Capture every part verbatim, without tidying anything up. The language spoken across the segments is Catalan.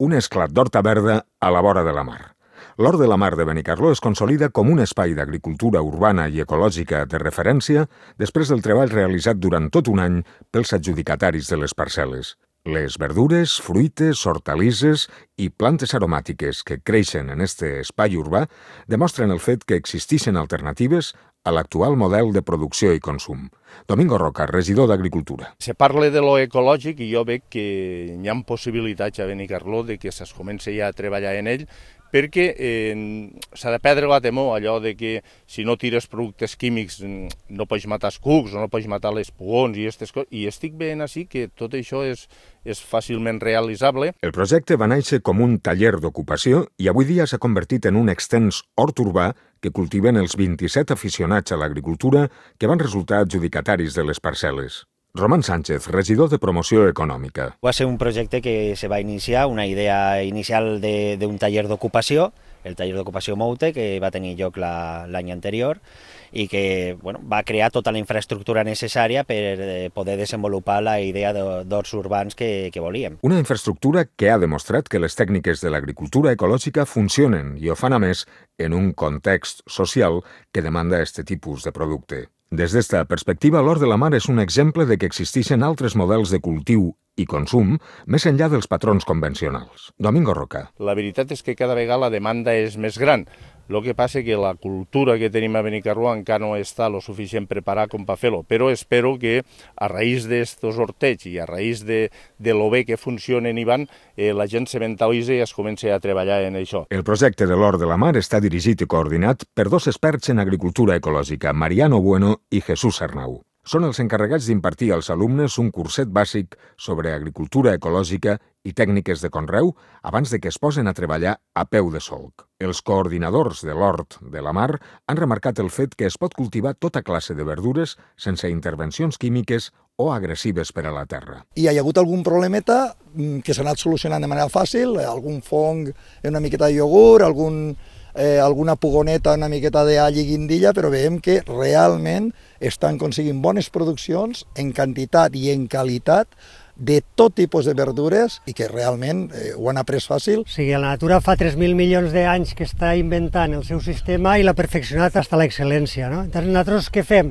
un esclat d'horta verda a la vora de la mar. L'Hort de la Mar de Benicarló es consolida com un espai d'agricultura urbana i ecològica de referència després del treball realitzat durant tot un any pels adjudicataris de les parcel·les. Les verdures, fruites, hortalisses i plantes aromàtiques que creixen en este espai urbà demostren el fet que existeixen alternatives a l'actual model de producció i consum. Domingo Roca, regidor d'Agricultura. Se parla de lo ecològic i jo veig que hi ha possibilitats a Benicarló de que es comenci ja a treballar en ell, perquè eh, s'ha de perdre la temor, allò de que si no tires productes químics no pots matar els cucs o no pots matar les pugons i aquestes coses, i estic veient així que tot això és, és fàcilment realitzable. El projecte va néixer com un taller d'ocupació i avui dia s'ha convertit en un extens hort urbà que cultiven els vint-i-set aficionats a l'agricultura que van resultar adjudicataris de les parcel·les. Román Sánchez, regidor de Promoció Econòmica. Va ser un projecte que se va iniciar, una idea inicial d'un taller d'ocupació, el taller d'ocupació Moute, que va tenir lloc l'any anterior i que bueno, va crear tota la infraestructura necessària per poder desenvolupar la idea d'horts urbans que, que volíem. Una infraestructura que ha demostrat que les tècniques de l'agricultura ecològica funcionen i ho fan a més en un context social que demanda aquest tipus de producte. Des d'esta perspectiva, l'Hort de la Mar és un exemple de que existeixen altres models de cultiu i consum més enllà dels patrons convencionals. Domingo Roca. La veritat és que cada vegada la demanda és més gran. El que passa és que la cultura que tenim a Benicarló encara no està lo suficient preparada com per fer-lo, però espero que a raïs d'estos hortets i a raïs de, de lo bé que funcionen i van, eh, la gent se mentalitzi i es comenci a treballar en això. El projecte de l'Hort de la Mar està dirigit i coordinat per dos experts en agricultura ecològica, Mariano Bueno i Jesús Arnau. Són els encarregats d'impartir als alumnes un curset bàsic sobre agricultura ecològica i tècniques de conreu abans de que es posen a treballar a peu de solc. Els coordinadors de l'Hort de la Mar han remarcat el fet que es pot cultivar tota classe de verdures sense intervencions químiques o agressives per a la terra. I hi ha hagut algun problemeta que s'ha anat solucionant de manera fàcil, algun fong, una miqueta de iogurt, algun... Eh, alguna pugoneta, una miqueta d'all i guindilla, però veiem que realment estan aconseguint bones produccions en quantitat i en qualitat de tot tipus de verdures i que realment eh, ho han après fàcil. O sigui, la natura fa tres mil milions d'anys que està inventant el seu sistema i l'ha perfeccionat fins a l'excel·lència, no? Llavors, nosaltres què fem?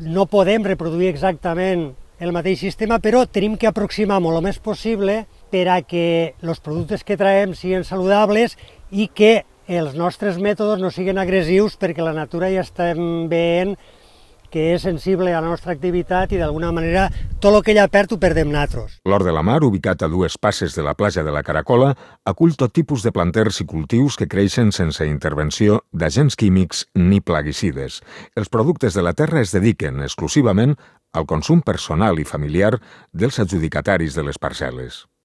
No podem reproduir exactament el mateix sistema, però tenim que aproximar-ho el més possible per a que els productes que traiem siguin saludables i que els nostres mètodes no siguin agressius, perquè la natura ja estem veient que és sensible a la nostra activitat i d'alguna manera tot el que ella perd ho perdem nosaltres. L'Hort de la Mar, ubicat a dues passes de la platja de la Caracola, acull tot tipus de planters i cultius que creixen sense intervenció d'agents químics ni plaguicides. Els productes de la terra es dediquen exclusivament al consum personal i familiar dels adjudicataris de les parcel·les.